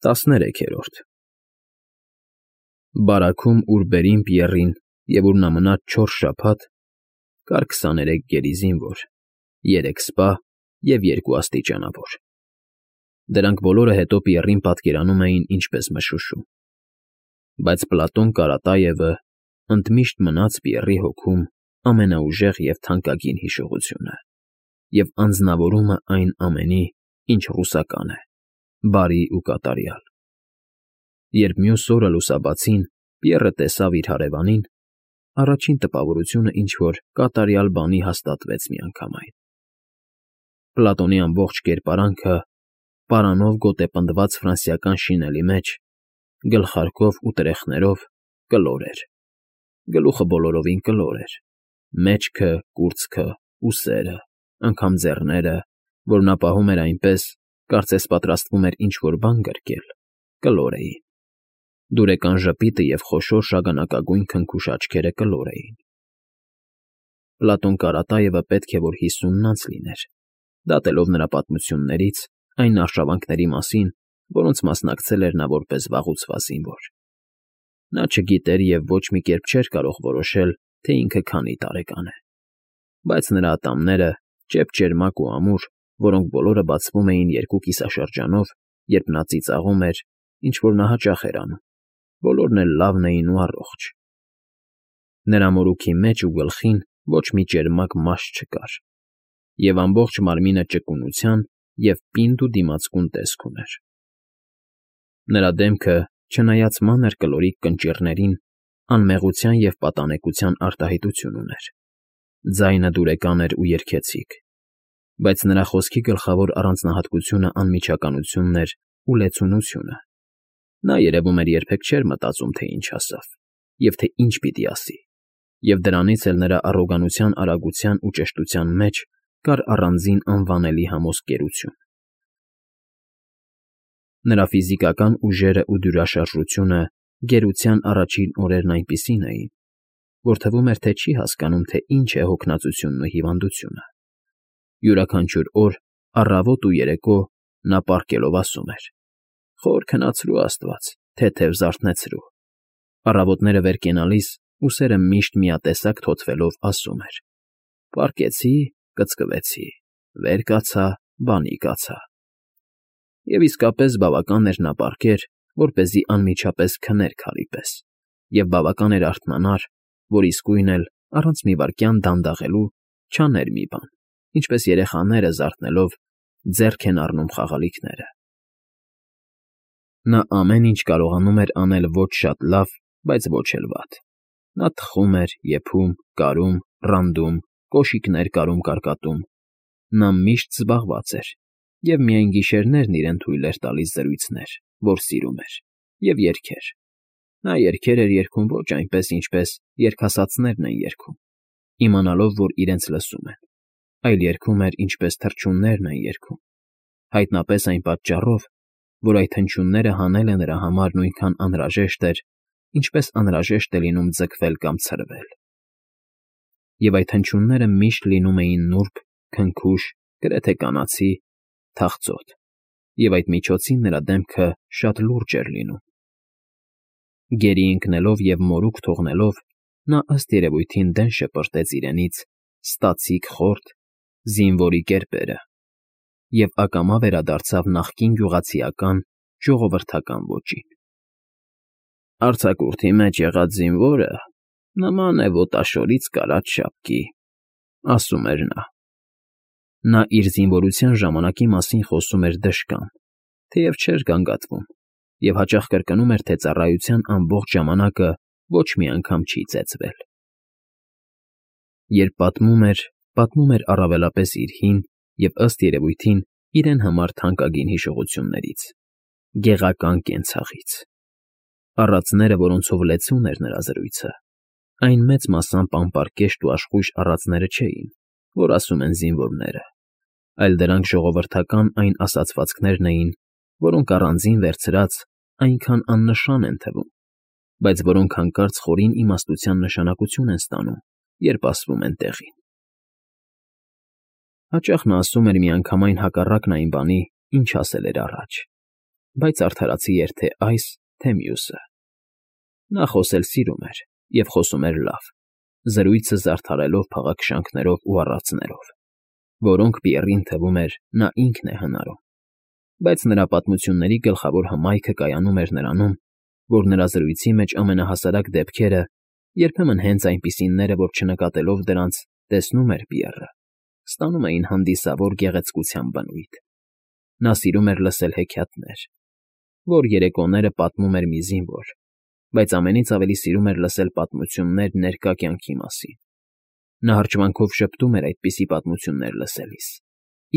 13-րդ Բարաքում, ուր բերին Պիեռին և ուր նա մնաց 4 շաբաթ, կար 23 գերի զինվոր, 3 սպա և 2 աստիճանավոր. դրանք բոլորը հետո Պիեռին պատկերանում էին ինչպես մշուշում. բայց Պլատոն Կարատաևը ընդմիշտ մնաց Պիեռի հոգում ամենաուժեղ և թանկագին հիշողությունը և անձնավորումը այն ամենի, ինչ ռուսական է, բարի ու կատարյալ. Երբ մյուս օրը լուսաբացին Պիեռը տեսավ իր հարևանին, առաջին տպավորությունը ինչ֊որ կատարյալ բանի հաստատվեց միանգամայն. Պլատոնի ամբողջ կերպարանքը, պարանով գոտեպնդված ֆրանսիական շինելի մեջ, գլխարկով ու տրեխներով, կլոր էր, գլուխը բոլորովին կլոր էր, մեջքը, կուրծքը, ուսերը, անգամ ձեռները, որ նա պահում էր այնպես, կարծես պատրաստվում էր ինչ֊որ բան գրկել, կլոր էին, դուրեկան ժպիտը և խոշոր շագանակագույն քնքուշ աչքերը կլոր էին. Պլատոն Կարատաևը պետք է որ 50-ն անց լիներ, դատելով նրա պատմություններից այն արշավանքների մասին, որոնց մասնակցել էր նա որպես վաղուցված զինվոր. նա չգիտեր և ոչ մի կերպ չէր կարող որոշել, թե ինքը քանի տարեկան է, բայց նրա ատամները, ճեպճերմակ ու ամուր, որոնք բոլորը բացվում էին երկու կիսաշրջանով, երբ նա ծիծաղում էր, ինչ֊որ նա հաճախ էր անում, բոլորն էլ լավն էին ու առողջ. նրա մորուքի մեջ ու գլխին ոչ մի ճերմակ մաշ չկար, և ամբողջ մարմինը ճկունության և պինդ ու դիմացկուն տեսք ուներ. նրա դեմքը, չնայած մանր կլորիկ կնճիռներին, անմեղության և պատանեկության արտահայտություն ուներ, ձայնը դուրեկան էր ու երգեցիկ, բայց նրա խոսքի գլխավոր առանձնահատկությունը անմիջականությունն էր ու լեցունությունը. նա երևում էր երբեք չէր մտածում, թե ինչ ասավ, և թե ինչ պիտի ասի, և դրանից էլ նրա առոգանության արագության ու ճշտության մեջ կար առանձին անվանելի համոզկերություն. նրա ֆիզիկական ուժերն ու դյուրաշարժությունը գերության առաջին օրերն այնպիսին էին, որ թվում էր, թե չի հասկանում, թե ինչ է հոգնածությունն ու հիվանդությունը. յուրաքանչյուր օր, առավոտ ու երեկո նա պառկելով ասում էր. «Խոր քնացրու, աստված, թեթև զարթնեցրու», առավոտները վեր կենալիս ուսերը միշտ միատեսակ թոթվելով ասում էր. «Պառկեցի, կծկվեցի, վեր կացա, բանի կացա»։ Եվ իսկապես բավական էր նա պառկեր, որպեսզի անմիջապես քներ քարի պես, և բավական էր արթնանար, որ իսկույն էլ, առանց մի վայրկյան դանդաղելու, չաներ մի բան, ինչպես երեխաները, զարթնելով, ձեռք են առնում խաղալիքները. նա ամեն ինչ կարողանում էր անել ոչ շատ լավ, բայց ոչ էլ վատ. նա թխում էր, եփում, կարում, ռանդում, կոշիկներ կարում֊կարկատում, նա միշտ զբաղված էր, և միայն գիշերներն իրեն թույլ էր տալիս զրույցներ, որ սիրում էր, և երգեր. նա երգեր էր երգում ոչ այնպես, ինչպես երգասացներն են երգում, իմանալով, որ իրենց լսում են, այլ երգում էր, ինչպես թռչուններն են երգում, հայտնապես այն պատճառով, որ այդ հնչյունները հանելը նրա համար նույնքան անհրաժեշտ էր, ինչպես անհրաժեշտ է լինում ձգվել կամ ցրվել. և այդ հնչյունները միշտ լինում էին նուրբ, քնքուշ, գրեթե կանացի, թախծոտ, և այդ միջոցին նրա դեմքը շատ լուրջ էր լինում. գերի ընկնելով և մորուք թողնելով, նա ըստ երևույթին դեն շպրտեց իրենից ստացիկ խորթ, զինվորի կերպերը և ակամա վերադարձավ նախկին գյուղացիական, ժողովրդական ոճին. «Արձակուրդի մեջ եղած զինվորը նման է ոտաշորից կարած շապկի», ասում էր նա. նա իր զինվորության ժամանակի մասին խոսում էր դժկան, թեև չէր գանգատվում, և հաճախ կրկնում էր, թե ծառայության ամբողջ ժամանակը ոչ մի անգամ չի ծեծվել. երբ պատմում էր առավելապես իր հին և, ըստ երևույթին, իրեն համար թանկագին հիշողություններից, գեղական կենցաղից. առածները, որոնցով լեցուն էր նրա զրույցը, այն մեծ մասամբ անպարկեշտ ու աշխույժ առածները չէին, որ ասում են զինվորները, այլ դրանք ժողովրդական այն ասացվածքներն էին, որոնք առանձին վերցրած այնքան աննշան են թվում, բայց որոնք հանկարծ խորին իմաստության նշանակություն են ստանում, երբ ասվում են տեղին. հաճախ նա ասում էր միանգամայն հակառակն այն բանի, ինչ ասել էր առաջ, բայց արդարացի էր թե այս, թե մյուսը։ Նա խոսել սիրում էր և խոսում էր լավ, զրույցը զարդարելով փաղաքշանքներով ու արածներով, որոնք Պիեռին թվում էր նա ինքն է հնարում, բայց նրա պատմությունների գլխավոր հմայքը կայանում էր նրանում, որ նրա զրույցի մեջ ամենահասարակ դեպքերը, երբեմն հենց այնպիսիները, որ չնկատելով դրանց տեսնում էր Պիեռը, ստանում էին հանդիսավոր գեղեցկության բնույթ։ Նա սիրում էր լսել հեքիաթներ, որ երեկոները պատմում էր մի զինվոր, բայց ամենից ավելի սիրում էր լսել պատմություններ ներկա կյանքի մասին։ Նա հրճվանքով շփտում էր այդպիսի պատմություններ լսելիս,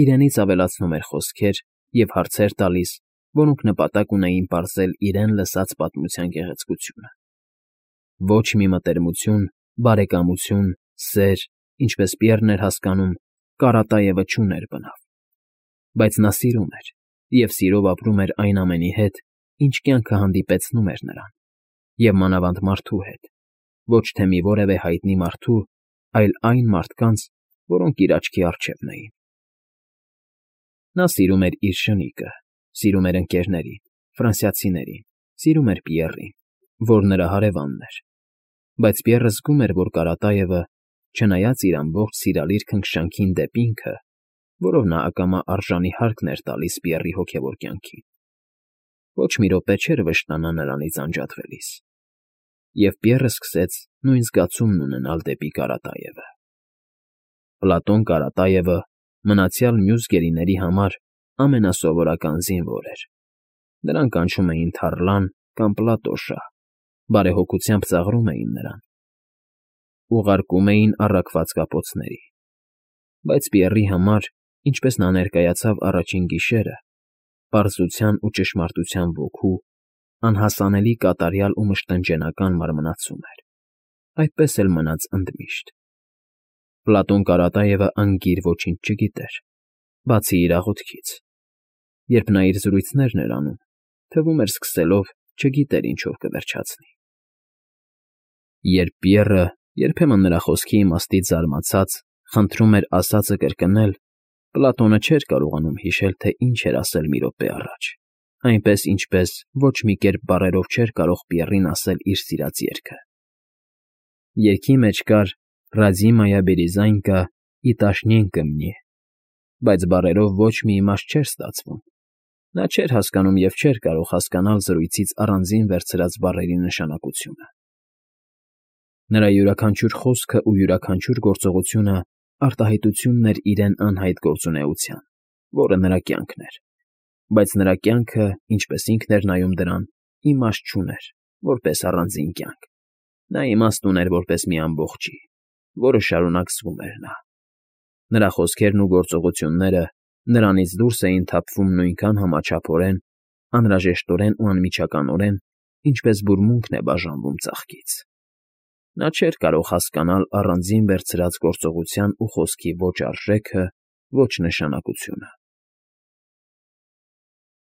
իրենից ավելացնում էր խոսքեր և հարցեր տալիս, որոնք նպատակ ունեին պարզել իրեն լսած պատմության գեղեցկությունը։ Ոչ մի մտերմություն, բարեկամություն, սեր, ինչպես Պիեռն էր հասկանում, Կարատաևը չուներ բնավ, բայց նա սիրում էր և սիրով ապրում էր այն ամենի հետ, ինչ կյանքը հանդիպեցնում էր նրան, և մանավանդ մարդու հետ, ոչ թե մի որևէ հայտնի մարդու, այլ այն մարդկանց, որոնք իր աչքի առջևն էին։ Նա սիրում էր իր շնիկը, սիրում էր ընկերներին, ֆրանսիացիներին, սիրում էր Պիեռին, որ նրա հարևանն էր, բայց Պիեռը զգում էր, որ Կարատաևը, չնայած իր ամբողջ սիրալիր քնքշանքին դեպի ինքը, որով նա ակամա արժանի հարկն էր տալիս Պիեռի հոգևոր կյանքին, ոչ մի րոպե չէր վշտանա նրանից անջատվելիս, և Պիեռը սկսեց նույն զգացումն ունենալ դեպի Կարատաևը։ Պլատոն Կարատաևը մնացյալ մյուս գերիների համար ամենասովորական զինվոր էր։ Նրան կանչում էին Թառլան կամ Պլատոշա, բարեհոգությամբ ծաղրում էին նրան, ուղարկում էին առաքված կապոցների, բայց Պիեռի համար, ինչպես նա ներկայացավ առաջին գիշերը, պարզության ու ճշմարտության ոգու, անհասանելի կատարյալ ու մշտնջենական մարմնացում էր, այդպես էլ մնաց ընդմիշտ։ Պլատոն Կարատաևը անգիր ոչինչ չգիտեր, բացի իր աղոթքից։ Երբ նա իր զրույցներն էր անում, թվում էր սկսելով չգիտեր ինչով կվերջացնի։ Երբ Պիեռը, երբեմն նրա խոսքի իմաստից զարմացած, խնդրում էր ասածը կրկնել, Պլատոնը չէր կարողանում հիշել, թե ինչ էր ասել մի րոպե առաջ, այնպես, ինչպես ոչ մի կերպ բառերով չէր կարող Պիեռին ասել իր սիրած երգը։ Երգի մեջ կար «Ռաձիմայա Բերիզայնկա ի տաշնյենկը մնի», բայց բառերով ոչ մի իմաստ չէր ստացվում։ Նա չէր հասկանում և չէր կարող հասկանալ զրույցից առանձին վերցրած բառերի նշանակությունը։ Նրա յուրաքանչյուր խոսքը ու յուրաքանչյուր գործողությունը արտահայտությունն էր իրեն անհայտ գործունեության, որը նրա կյանքն էր, բայց նրա կյանքը, ինչպես ինքն էր նայում դրան, իմաստ չուներ, որպես առանձին կյանք։ Նա իմաստ ուներ որպես մի ամբողջի, որը շարունակ զգում էր նա։ Նրա խոսքերն ու գործողությունները նրանից դուրս էին թափվում նույնքան համաչափորեն, անհրաժեշտորեն ու անմիջականորեն, ինչպես բուրմունքն է բաժանվում ծաղկից։ Նա չէր կարող հասկանալ առանձին վերցրած գործողության ու խոսքի ոչ արժեքը, ոչ նշանակությունը։